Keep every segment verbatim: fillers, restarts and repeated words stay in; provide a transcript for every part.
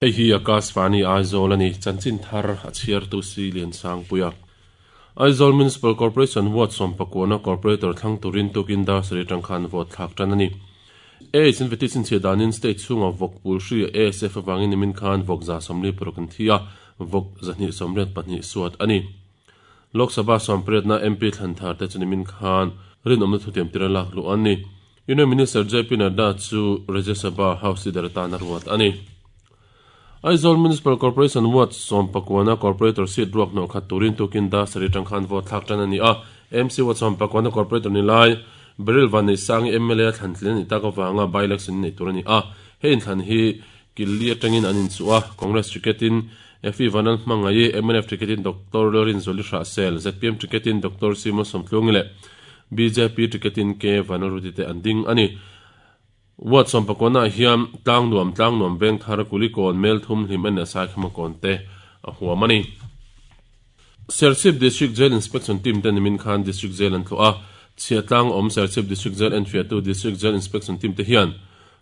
Hei hi Akashvani Aizawl a ni, chanchin thar a chhiartu si Lian Sangpuia. Aizawl Municipal Corporation Ward sawmpakuana Corporator thlang turin tukin dar sarih atang khan vote thlak tan a ni. AIDS in veti chhinchhiah danin state chhunga vawk pul hri A S F avangin nimin khan vawk za sawmli paruk an thi a, vawk zahnih sawmriat pahnih suat a ni. Lok Sabha sawmpariatna M P thlan thar te chu nimin khan rinawmna thutiam tira lak luh an ni. Union Minister J P Nadda chu Rajya Sabha House Leader atan a ruat a ni. Aizawl Municipal Corporation Ward sawmpakuana Corporator seat ruak hnawh khat turin tukin dar sarih atang khan vote thlak tan a ni a. M C Ward sawmpakuana Corporator ni lai Beryl Van Nei Sangi M L A thlan tlin a ni tak avanga by-election nei tur a ni a. Hei inthlan hi Killi atangin an inchuh a, Congress ticketin F E Vanal Hmangaih, M N F ticketin Doctor Lorin Zoli Hrahsel, Z P M ticketin Doctor Simon Sawmtlungi leh B J P ticketin K Vanal Ruti te an ding a ni. Ward sawmpakuana hian tlang nuam tlang nuam veng thar kulikawn mel thum hlim en asai khama kawn te a huam a ni. Serchhip District Jail Inspection Team te nimin khan District Jail an thlawh a, chhiah tlang awm Serchhip District Jail en fiahtu District Jail Inspection Team te hian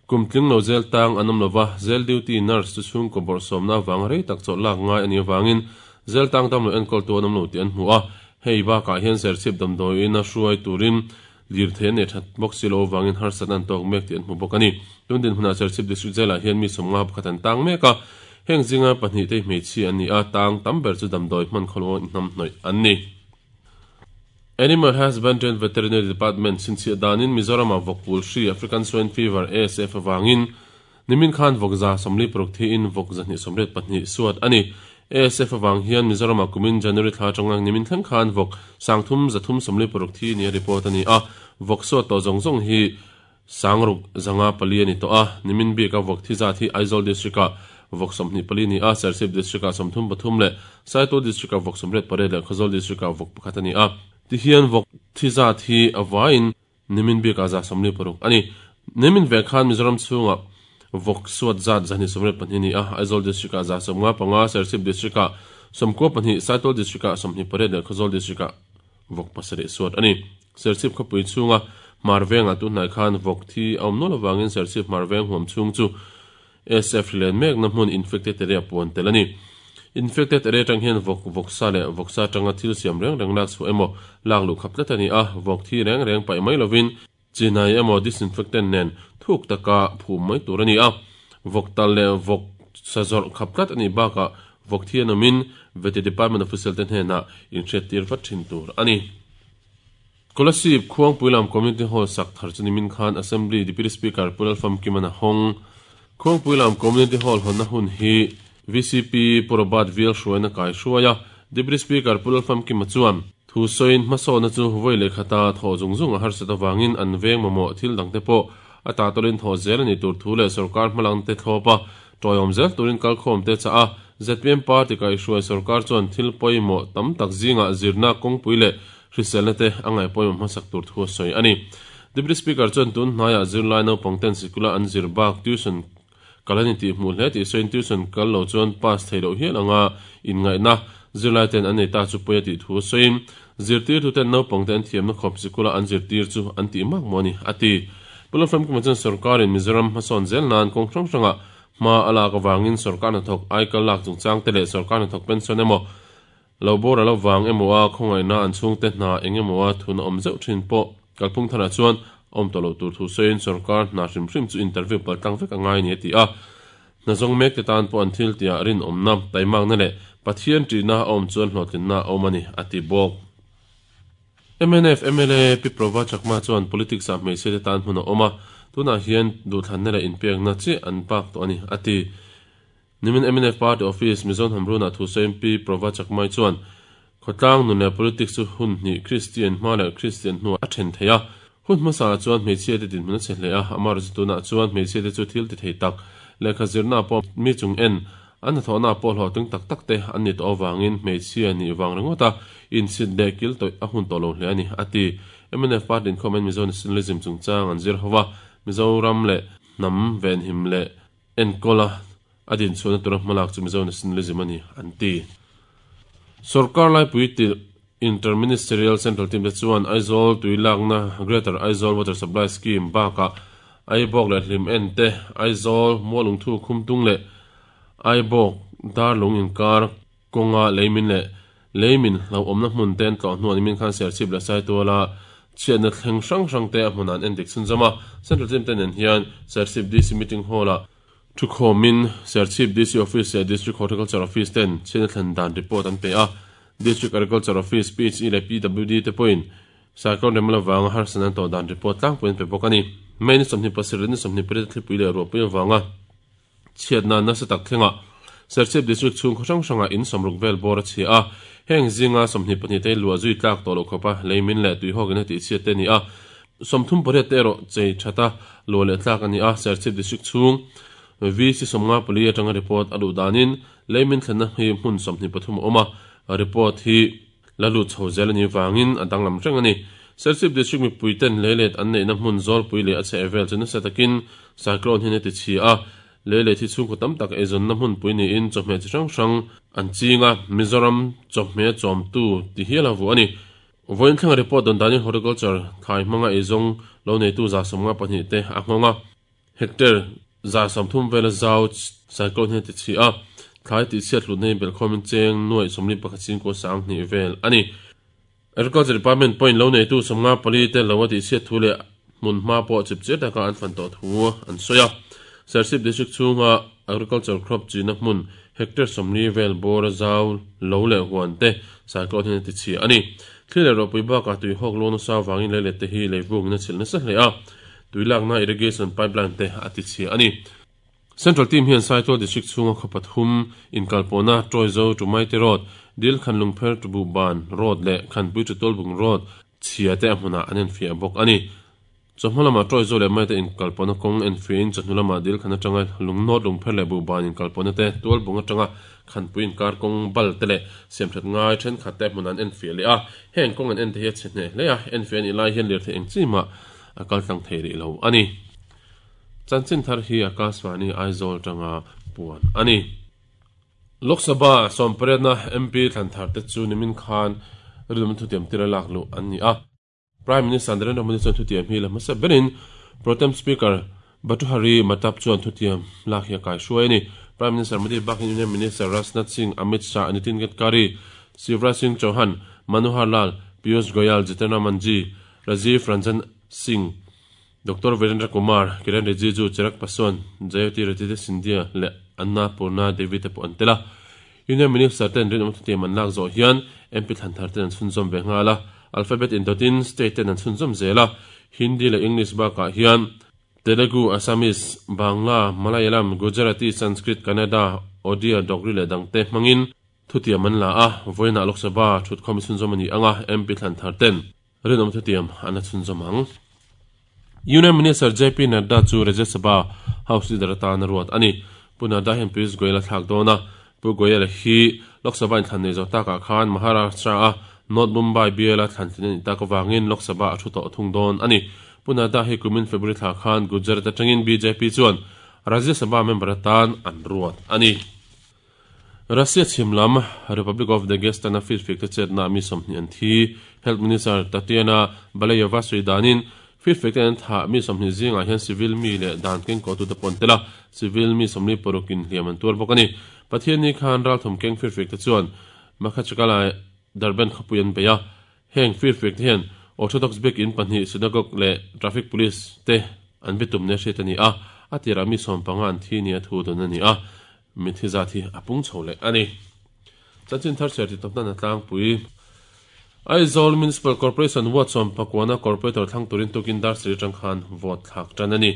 kumtling lo jail tang an awm lova, jail duty nurse chu chhung kaw bawrh sawmna vang rei tak chawlh lak ngai a ni avangin jail tang dam lo enkawl tu an awm lo tih an hmu a. Hei bakah hian Serchhip damdawiin a hruai turin lir thei an nei that bawk si lo avangin harsat an tawk mek tih an hmu bawk a ni. Tun din hunah Serchhip District Jail-ah hian mi sawmnga pakhat an tang mek a, heng zinga pahnih te hmeichhi an ni a, tang tam ber chu damdawi hman khawlo inhnam hnawih an ni. Animal Husbandry and Veterinary Department chhinchhiah danin Mizoram-ah vawk pul hri African Swine Fever A S F avangin nimin khan vawk za sawmli paruk thiin vawk zahnih sawmriat pahnih suat a ni. A S F avang hian Mizoram-ah kumin January thla atanga nimin thleng khan vawk sangthum zathum sawmli paruk thi ni a report a ni a. Vawk suat tawh zawng zawng hi sangruk zanga pali a ni tawh a. Nimin bika vawk thi zat hi Aizawl District-ah vawk sawmhnih pali ni a, Serchhip District-ah sawmthum pathum leh Saitual District-ah vawk sawmriat pariat leh Khawzawl District-ah vawk pakhat a ni a. Ti hian vawk thi zat hi a vain nimin bika za sawmli paruk a ni. Nimin ve khan Mizoram chhunga vawk suat zat zahnih sawmriat pahnih ni a, Aizawl District-ah za sawmnga panga, Serchhip District-ah sawmkua pahnih, Saitual District-ah sawmhnih pariat leh Khawzawl District-ah vawk pasarih suat a ni. Serchhip khawpui chhunga Hmarvengah tu hnai khan vawk thi a awm nual avangin Serchhip Hmarveng huam chhung chu S F len mekna hmun infected area puan tel a ni. Infected area tang hian vawk vawksa leh vawksa tanga thil siam reng reng lak chhuah emaw lak luh khap tlat a ni a, vawk thi reng reng paih mai lovin chinai emaw disinfectant nen thuk taka phum mai tur a ni a. Vawk tal leh vawk sazawrh khap tlat a ni bakah vawk thi an awmin Veti Department official te hnenah inhriat tir vat thin tur a ni. Kolasib Khuangpuilam Community Hall sak thar chu nimin khan Assembly Deputy Speaker Pu Lalfamkima a hawng. Khuangpuilam Community Hall hawnna hun hi V C P Pu Robert Vil hruaina kai hruaia Deputy Speaker Pu Lalfamkima chuan thu sawiin hmasawhna chu vawi leh khata thaw zung zung a harsat avangin an veng mamawh thil dangte pawh a ta tawlin thaw zel a ni tur thu leh sarkar hmalang te thlawpa tawiawm zel turin kalkhawm te cha a. Z P M Party kai hruai sarkar chuan thil pawimawh tam tak zingah zirna kawngpui leh hriselna te a ngaih pawimawh hmasak tur thu a sawi a ni. Deputy Speaker chuan tun hnaiah zirlai naupang ten sikula an zir bak tuition kalani tih hmuh hle tih sawiin tuition kal lo chuan pass thei loh hial anga inngaihna zirlai ten an nei ta chu pawi a tih thu a sawiin zirtir tu ten naupang te an thiamna khawp sikula an zirtir chu an tih mak maw ani a ti. Pu Lalfamkima chuan sarkarin Mizoram hmasawn zel nan kawng hrang hrangah hma a lak avangin sarkar hnathawk aikal lak chungchang te leh sarkar hnathawk pension emaw lo bawr a lo vang emaw a khawngaihna an chhung te hna eng emaw a thun a awm zeuh thin pawh kalphung tharah chuan awm tawh lo tur thu sawiin sarkar hna hrim hrim chu interview pal tlang vek a ngai ni a ti a. Hna zawng mek te tan pawh an thil tiah rinawmna taimakna leh Pathian ṭihna a awm chuan hlawhtlinna a awm a ni a ti bawk. M N F M L A Pi Prova Chakma chuan politics ah hmeichhia te tan hmun a awm a, tunah hian duhthlanna leh inpekna chi an pak tawh a ni a ti. Nimin M N F Party Office Mizo Hnamrunah thu sawiin Pi Prova Chakmai chuan khawtlang nun leh politics chu hun hnih Christian hma leh Christian hnuah a then thei a. Hun hmasa chuan hmeichhia te dinhmun a che hle a, amah chu tunah chuan hmeichhia te chu thil ti thei tak lehkha zirna pawh mi chung en an hnathawhna pawh hlawhtling tak tak te an ni tawh avangin hmeichhia ni wang ringawt a inchhit leh kil tawih a hun tawh lo hle a ni a ti. M N F Party inkhawm Mizo Nationalism chungchang an zir hova Mizoram leh hnam venhim leh enkawl a a din chhuahna tura hmalak chu Mizo Nationalism a ni an ti. Sarkar laipui tirh Interministerial Central Team te chuan Aizawl tuilakna Greater Aizawl Water Supply Scheme bakah Aibawk leh hlim en te Aizawl Mualungthu khumtung leh Aibawk Darlung inkar kawnga leimin leh leimin lo awmna hmun te an tlawh hnuah nimin khan Serchhip leh Saituala chhiatna thleng hrang hrang te a hmunah an endik chhunzawm a. Central team te nen hian Serchhip D C meeting hall ah thukhawmin Serchhip D C office leh District Horticulture Office ten chhiatna thlen dan report an pe a. District Agriculture Office, P H E leh P W D te pawhin Cyclone Remla vanga harsatna an tawh dan report tlangpui an pe bawk a ni. May ni sawmhnih pasarih ni sawmhnih pariat thlipui leh ruahpui avanga chhiatna nasa tak thlengah Serchhip District chhung khaw hrang hrangah in sawmruk vel bawr a chhia a. Heng zinga sawmhnih pahnih te luah zui tlak tawh loh khawpa leimin leh tuihawkin a tih chhiat te a ni a. Sawmthum pariat te erawh chei thata luah leh tlak a ni a. Serchhip District chhung V C sawmnga pali atanga report a luh danin leimin thlenna hi hmun sawmhnih pathum a awm a. Report hi la lut chho zel a ni vangin a danglam reng a ni. Serchhip District mipui ten leilet an neihna hmun zawlpui leh a chheh vel chu nasa takin cyclone hian a ti chhia a. Leilet hi chhungkaw tam tak eizawnna hmunpui niin chawhmeh chi hrang hrang an ching a, Mizoram chawhmeh chawmtu ti hial a vuah a ni. Vawiin thlenga report dawn danin horticulture thlai hmanga eizawng lo neitu za sawmnga pahnih te a nghawng a, hectare za sawmthum vela zau cyclone hian a ti chhia a, thlai tihchhiat hlutna hi belhkhawmin cheng nuaih sawmli pakhat chingkaw sang hnih vel a ni. Agriculture Department pawhin lo neitu sawmnga pali te lo a tihchhiat thu leh hmun hma pawh chip chiar taka an fan tawh thu an sawi a. Serchhip District chhunga agriculture crop china hmun hectare sawmli vel bawr a zau lo leh huan te cyclone hian a ti chhia a ni. Thli leh ruahpui bakah tuihawk lawn nasa vangin leilet te hi leivungin a chhilh nasa hle a, tuilakna irrigation pipeline te a ti chhia a ni. Central team hian Saitual District chhunga khaw pathum inkalpawhna Tawizo to Maite Road, Dil Khanlungpher to Buhban Road leh Khanpui to Tualbung Road chhia te a hmunah an enfiah bawk a ni. Chawhma lamah Tawizo leh Maite inkalpawhna kawng enfiahin chawhnu lamah Dil Khan atanga Lungnawt Lungpher leh Buhban inkalpawhna te Tualbung atanga Khanpui inkar kawng bal te leh siamthat ngai thenkhat te a hmunah an enfiah leh a. Heng kawng an en te hi a chhe hneh hle a, enfiah a nih lai hian lirthei eng chi mah a kal tlang thei rih lo a ni. Chanchin thar hi Akashvani Aizawl tanga puan a ni. Lok Sabha sawmpariatna M P thlan thar te chu nimin khan rilum thutiam tira lak luh an ni a. Prime Minister Narendra Modi chuan thutiam hi la hmasa berin Protem Speaker Bhartruhari Mahtab chuan thutiam lak hi a kai hruai a ni. Prime Minister Modi bakin Union Minister Rajnath Singh, Amit Shah, Nitin Gadkari, Shivraj Singh Chauhan, Manohar Lal, Piyush Goyal, Jitendra Manjhi, Rajiv Ranjan Singh, Doctor Virendra Kumar, Kiren Rijiju, Chirag Paswan, Jyotiraditya Scindia leh Annapurna Devi te pawh an tel a. Union Minister ten rinawm thutiam an lak zawh hian M P thlan thar ten an chhunzawm ve nghal a. Alphabet indawtin state ten an chhunzawm zel a. Hindi leh English bakah hian Telugu, Assamese, Bangla, Malayalam, Gujarati, Sanskrit, Kannada, Odia, Dogri leh dangte hmangin thutiam an la a. Vawiinah Lok Sabha thutkhawm chhunzawm a ni anga M P thlan thar ten rinawm thutiam an la chhunzawm ang. Union Minister J P Nadda chu Rajya Sabha House Leader atan a ruat a ni. Pu Nadda hian Piyush Goyal a thlak dawn a. Pu Goyal hi Lok Sabha inthlan nei zawh takah khan Maharashtra a North Mumbai B L a thlan tlin a nih tak avangin Lok Sabha a thu tawh thung dawn a ni. Pu Nadda hi kumin February thla khan Gujarat atangin B J P chuan Rajya Sabha member atan an ruat a ni. Russia chhim lam Republic of Dagestan a firfik te chetna mi sawmhnih an thi. Health Minister Tatiana Balayeva sawi danin firfik te an thah mi sawmhnih zingah hian civil mi leh dan keng kawh tute pawh an tel a, civil mi sawmli parukin hliam an tuar bawk a ni. Pathianni khan ralthum keng firfik te chuan Makhachkala Derbent khawpui an bei a. Heng firfik te hian Orthodox biak in pahnih synagogue leh traffic police te an bitum nia hriat a ni a, a tirah mi sawm panga an thi nia thu dawn a ni a, mithi zat hi a pung chho leh a ni. Chanchin thar chhiar ti tawpna na tlangpui. Aizawl Municipal Corporation ward sawm pakuana corporator thlang turin tukin dar sarih atang khan vote thlak tan a ni.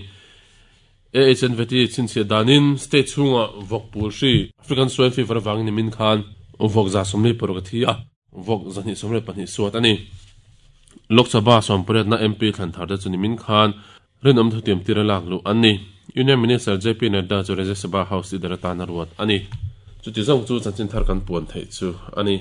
A H N V T chhinchhiah danin state chhunga vawk pul hri African Swine Fever avangin nimin khan vawk za sawmli paruk a thi a, vawk zahnih sawmriat pahnih suat a ni. Lok Sabha sawmpariatna M P thlan thar te chu nimin khan rinawm thutiam tira lak luh an ni. Union Minister J P Nadda chu Rajya Sabha House Leader atan a ruat a ni. Chuti zawng chu chanchin thar kan puan theih chu a ni.